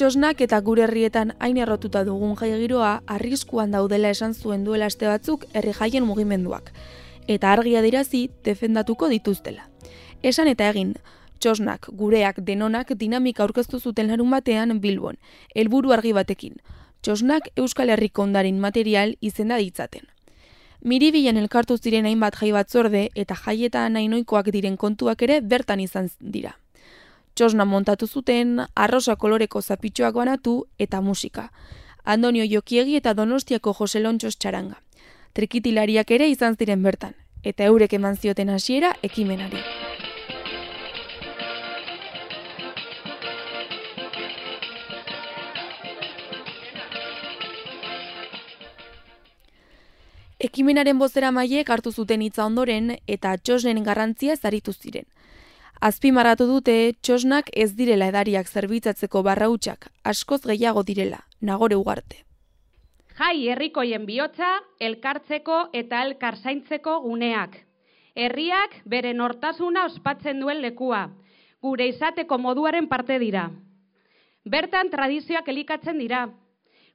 Txosnak eta gure herrietan hain errotuta dugun jai giroa arriskuan daudela esan zuen duela aste batzuk herri jaien mugimenduak, eta argi adierazi defendatuko dituztela. Esan eta egin, Txosnak, gureak, denonak dinamika aurkeztu zuten larunbatean Bilbon, helburu argi batekin. Txosnak Euskal Herriko ondarin material izenda ditzaten. Miribilan elkartu ziren hainbat jai batzorde eta jaietan hainoikoak diren kontuak ere bertan izan dira. Txosna montatu zuten, arrosa koloreko zapitxoak banatu eta musika. Andonio Jokiegi eta Donostiako Jose Lontxos txaranga. Trikitilariak ere izan ziren bertan, eta eurek eman zioten hasiera ekimenari. Ekimenaren bozeramaileek hartu zuten hitza ondoren eta Txosnen garrantzia aritu ziren. Azpimarratu dute Txosnak ez direla edariak zerbitzatzeko barrautsak, askoz gehiago direla, Nagore Ugarte. Jai herrikoien bihotza, elkartzeko eta elkarzaintzeko guneak. Herriak bere nortasuna ospatzen duen lekua, gure izateko moduaren parte dira. Bertan tradizioak elikatzen dira,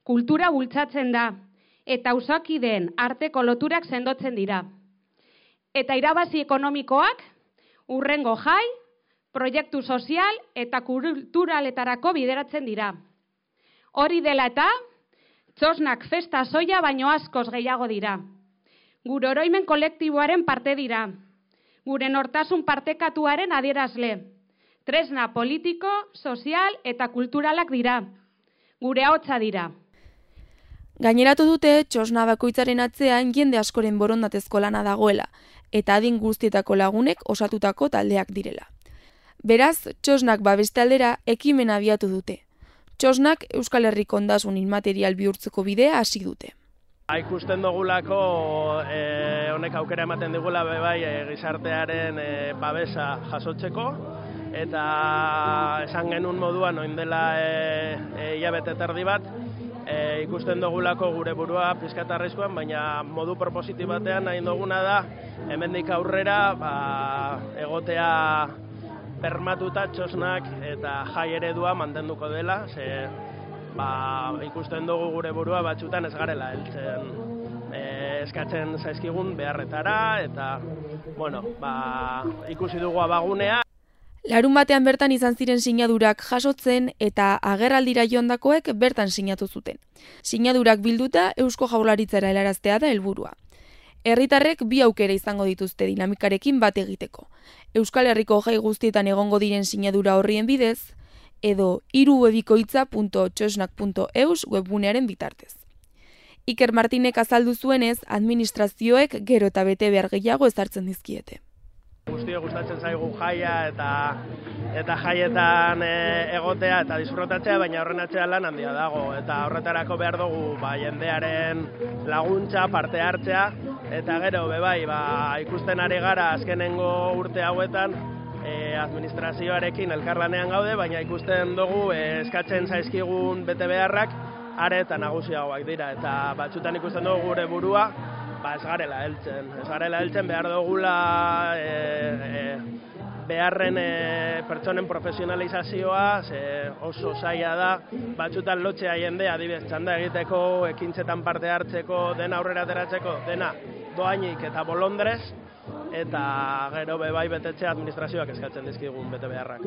kultura bultzatzen da, eta auzokideen arteko loturak sendotzen dira. Eta irabazi ekonomikoak, hurrengo jai, proiektu sozial eta kulturaletarako bideratzen dira. Hori dela eta, Txosnak festa soia baino askoz gehiago dira. Gure oroimen kolektiboaren parte dira. Gure nortasun partekatuaren adierazle. Tresna politiko, sozial eta kulturalak dira. Gure ahotsa dira. Gaineratu dute Txosna bakoitzaren atzean jende askoren borondatezko lana dagoela, eta adin guztietako lagunek osatutako taldeak direla. Beraz, Txosnak babeste aldera ekimena abiatu dute. Txosnak Euskal Herriko ondasun inmaterial bihurtzeko bidea hasi dute. Ikusten dugulako honek aukera ematen digula gizartearen babesa jasotzeko, eta esan genuen moduan oin dela hilabete terdi bat, ikusten dugulako gure burua pizkat arriskuan, baina modu propositibo batean nahi duguna da hemendik aurrera egotea bermatuta Txosnak eta jai eredua mantenduko dela, ikusten dugu gure burua batzutan ez garela heltzen eskatzen zaizkigun beharretara, eta ikusi dugu abagunea. Larun batean bertan izan ziren sinadurak jasotzen eta agerraldira joandakoek bertan sinatu zuten. Sinadurak bilduta Eusko Jaurlaritzara helaraztea da helburua. Herritarrek bi aukera izango dituzte dinamikarekin bat egiteko. Euskal Herriko jai guztietan egongo diren sinadura horrien bidez, edo irubebikoitza.txosnak.eus webgunearen bitartez. Iker Martinek azaldu zuenez, administrazioek gero eta bete behar gehiago ezartzen dizkiete. Guztio gustatzen zaigu jaia eta jaietan egotea eta disfrutatzea, baina horren atzean lan handia dago, eta horretarako behar dugu jendearen laguntza, parte hartzea, eta gero ikusten ari gara azkenengo urte hauetan administrazioarekin elkarlanean gaude, baina ikusten dugu eskatzen zaizkigun bete beharrak are eta nagusiagoak dira, eta batzutan ikusten dugu gure burua ez garela heltzen, behar dugula beharren pertsonen profesionalizazioa, oso zaila da, batzutan lotzea jendea, adibidez, txanda egiteko, ekintzetan parte hartzeko, dena aurrera ateratzeko, dena doainik eta bolondrez, eta gero betetzea administrazioak eskatzen dizkigun bete beharrak.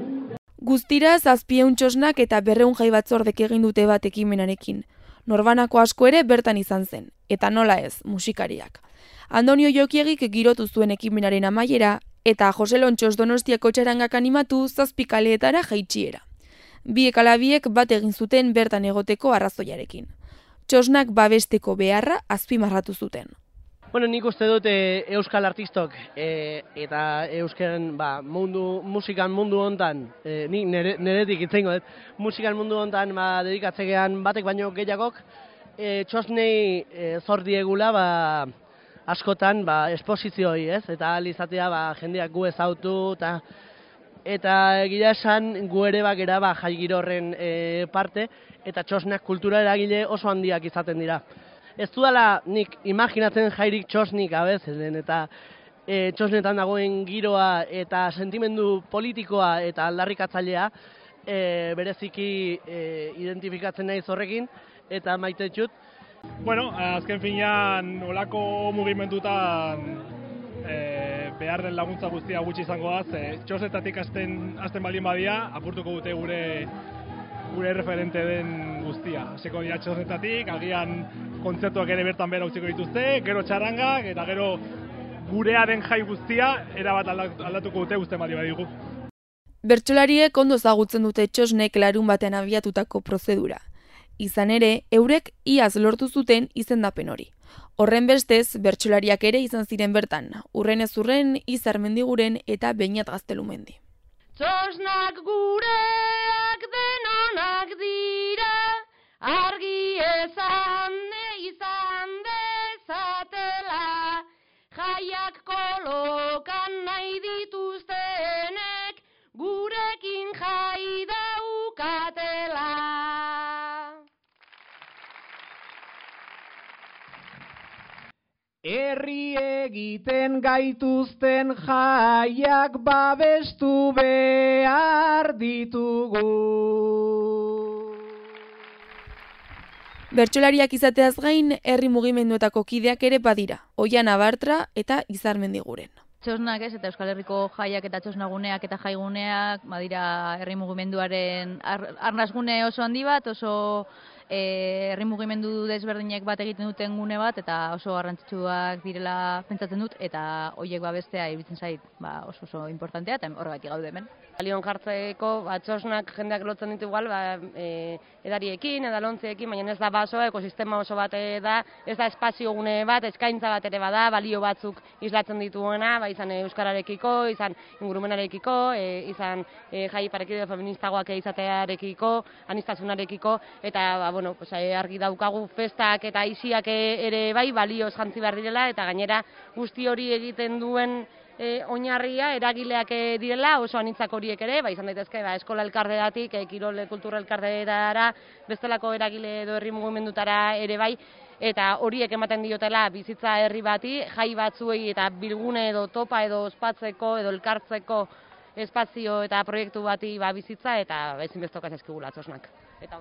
Guztira 700 Txosnak eta 200 jai batzordek egin dute bat ekimenarekin. Norbanako asko ere bertan izan zen, eta nola ez, musikariak. Andonio Jokiegik girotu zuen ekimenaren amaiera, eta Jose Lontxos Donostiako txarangak animatu 7 kaleetara jaitsiera. Biek ala biek bat egin zuten bertan egoteko arrazoiarekin. Txosnak babesteko beharra azpimarratu zuten. Nik uste dut euskal artistok eta euskaren musikan mundu hontan, nik neretik itzengo dut, musikan mundu hontan dedikatzegean batek baino gehiagok, Txosnei zor diegula askotan esposizioi, ez? Eta ahal izatea jendeak gu ezautu, eta egia esan gu ere bagera jai giro horren parte, eta Txosnak kultura eragile oso handiak izaten dira. Ez dudala nik imaginatzen jairik Txosnik abezen, eta Txosnetan dagoen giroa eta sentimendu politikoa eta aldarrikatzailea bereziki identifikatzen naiz horrekin, eta maite txut. Bueno, azken finean olako mugimendutan behar den laguntza guztia gutxi izango da, txosetatik hasten baldin badia, apurtuko dute gure referente den guztia. Hasiko dira txosetatik, agian kontzertuak ere bertan bera utziko dituzte, gero txarrangak, eta gero gurea den jai guztia, erabat aldatuko dute guztien baldin badigu. Bertsolariek ondo ezagutzen dute Txosnek larun batean abiatutako prozedura. Izan ere, eurek iaz lortu zuten izendapen hori. Horren bestez, bertsolariak ere izan ziren bertan, Urrenez Urren, Izar Mendiguren eta Beñat Gaztelumendi. Txosnak gureak denonak dira, argi izan dezatela, jaiak kolokan nahi dituztenek, gurekin jai daukatela. Herri egiten gaituzten jaiak babestu behar ditugu. Bertsolariak izateaz gain, herri mugimenduetako kideak ere badira, Oian Abartra eta Izar Mendiguren. Txosnak ez, eta Euskal Herriko jaiak eta txosnaguneak eta jaiguneak, badira herri mugimenduaren arnasgune oso handi bat, oso herri mugimendu desberdinek bat egiten duten gune bat, eta oso garrantzitsuak direla pentsatzen dut, eta horiek babestea iruditzen zait oso importantea, eta horregatik gaude hemen. Balion jartzeko, txosnak jendeak lotzen ditu igual, edariekin, edalontzeekin, baina ez da basoa, ekosistema oso bat da, ez da espazio gune bat, eskaintza bat ere bada, balio batzuk islatzen dituena, izan euskararekiko, izan ingurumenarekiko, izan jai parekide feministagoak izatearekiko, aniztasunarekiko, eta argi daukagu festak eta aisiak ere bai balioz jantzi behar direla, eta gainera guzti hori egiten duen oinarria eragileak direla, oso anitzak horiek ere, izan daitezke eskola elkarteetatik, kirol kultura elkarteetara, bestelako eragile edo herri mugimendutara ere bai, eta horiek ematen diotela bizitza herri bati, jai batzuei eta bilgune edo topa edo ospatzeko edo elkartzeko espazio eta proiektu bati bizitza, eta ezinbestekoa zaizkigula Txosnak. Eta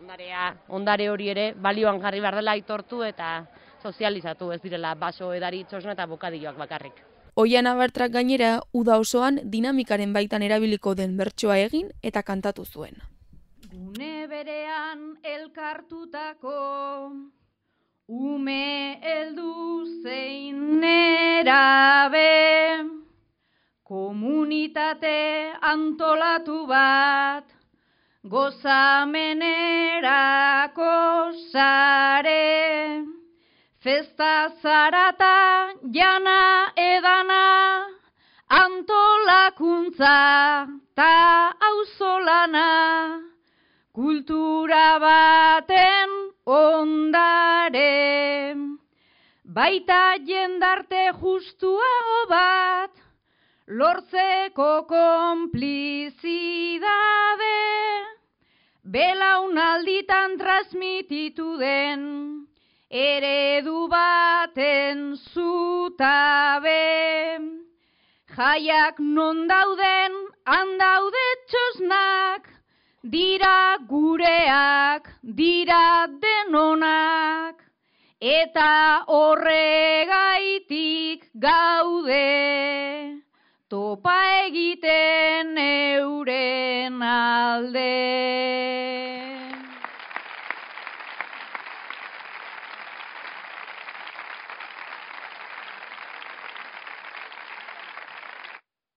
ondare hori ere balioan jarri behar dela aitortu eta sozializatu, ez direla baso, edari, txosna eta bokadilloak bakarrik. Oian Abartrak gainera, uda osoan dinamikaren baitan erabiliko den bertsoa egin eta kantatu zuen. Gune berean elkartutako ume heldu zein nerabe, komunitate antolatu bat, gozamenerako sare, festa zarata jana edana, antolakuntza ta auzolana, kultura baten ondare, baita jendarte justuago bat, lortzeko konplizidade, belaunalditan transmititu den, eredu baten zutabe. Jaiak non dauden, handaude Txosnak, dira gureak, dira denonak, eta horregaitik gaude, topa egiten euren alde.